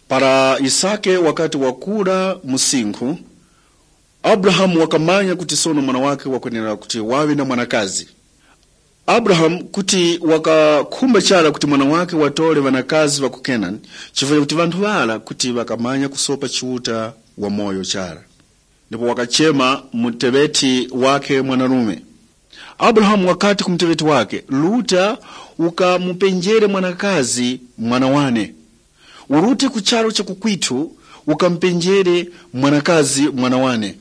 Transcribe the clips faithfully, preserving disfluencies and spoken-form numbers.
Para Yisake wakati wakura msinkhu, Abrahamu wakamanya kuti sono mwana wakhe wakwenera kuti waŵe na mwanakazi. Abrahamu kuti wakakhumba chara kuti mwana wakhe watore ŵanakazi ŵa ku Kenani, chifukwa chakuti ŵanthu ŵara kuti ŵakamanya kusopa Chiuta wamoyo chara. Ndipo wakachema muteŵeti wakhe mwanarume. Abrahamu wakati ku muteŵeti wakhe, "Ruta ukamupenjere mwanakazi mwana wane. Urute ku charu cha kukwitu ukamupenjere mwanakazi mwana wane."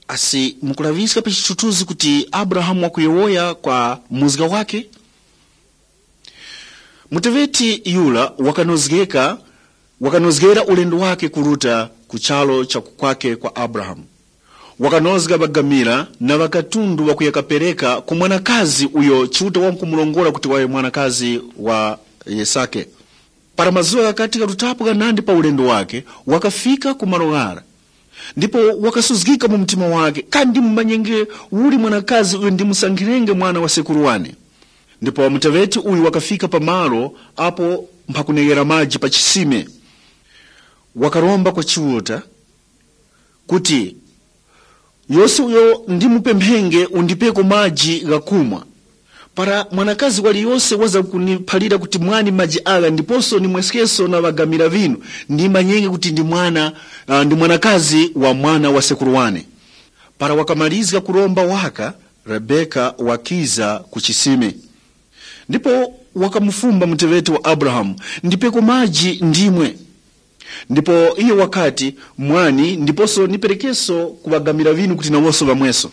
Asi mukulaŵiska pa chithuthuzi kuti Abrahamu wakuyowoya kwa muzga wake? Muteŵeti yura wakanozgeka, wakanozgera ulendo wake kuruta ku charu cha kukwake kwa Abrahamu. Wakanozga ŵagamira na ŵakatundu ŵakuya kapereka ku mwanakazi uyo Chiuta wamkumurongora kuti waŵe mwanakazi wa Yisake. Para mazuŵa ghakati karutapo ghanandi pa ulendo wake, wakafika ku malo ghara. Ndipo wakasuzgika mu mtima wake, "Kandi ndimumanyenge uli mwanakazi uyo ndimusankhirenge mwana wa sekuru wane?" Ndipo muteŵeti uyu wakafika pa malo apo mphakuneghera maji pa chisime. Wakaromba kwa Chiuta kuti, "Yose uyo ndimupemphenge undipeko maji ghakumwa. Para mwanakazi waliyose waza kuniphalira kuti mwani maji agha ndiposo ndimweskeso na ŵagamira ŵinu, ndimanyenge kuti ndi mwana, ah, ndi mwanakazi wa mwana wa sekuru wane." Para wakamarizga kuromba waka, Rebeka wakiza ku chisime. Ndipo wakamufumba muteŵeti wa Abrahamu, "Ndipeko maji ndimwe." Ndipo iyo wakati, "Mwani, ndiposo ndiperekeso ku ŵagamira ŵinu kuti nawonso ŵamweso."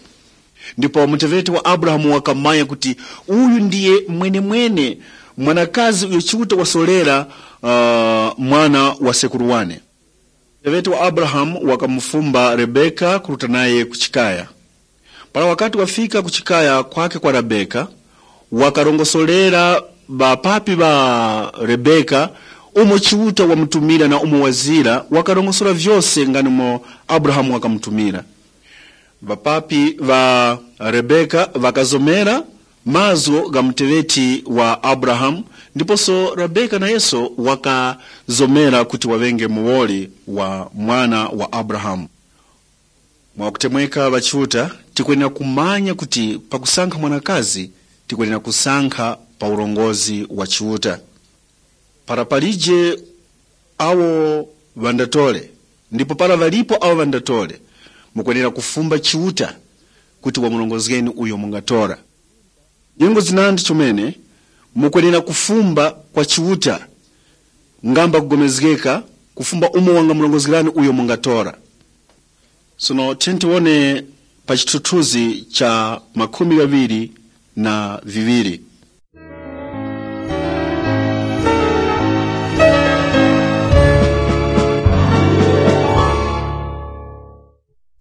Ndipo muteŵeti wa Abrahamu wakamanya kuti uyu ndiye mwenemwene mwanakazi uyo Chiuta wasorera, uh, mwana wa sekuru wane. Muteŵeti wa Abrahamu wakamufumba Rebeka kuruta naye ku chikaya. Para wakati wafika ku chikaya kwake kwa Rebeka, wakarongosorera ŵapapi ŵa Rebeka umo Chiuta wamutumira na umo wazira, wakarongosora vyose nga umo Abrahamu wakamutumira. Ŵapapi ŵa Rebeka ŵakazomera mazgu gha muteŵeti wa Abrahamu, ndiposo Rebeka nayeso wakazomera kuti waŵenge muwoli wa mwana wa Abrahamu. Mwakutemweka ŵachiuta, tikwenera kumanya kuti pakusankha mwanakazi, tikwenera kusankha pa urongozi wa Chiuta. Para palije awo ŵandatore, ndipo para ŵalipo awo ŵandatore, mukwenera kufumba Chiuta kuti wamurongozgeni uyo mungatora. Nyengo zinandi chomene, mukwenera kufumba kwa Chiuta, ngamba kugomezgeka, kufumba umo wangamurongozgerani uyo mungatora. Sono tiyeni tiwone pa chithuthuzi cha makumi ghaŵiri na viŵiri.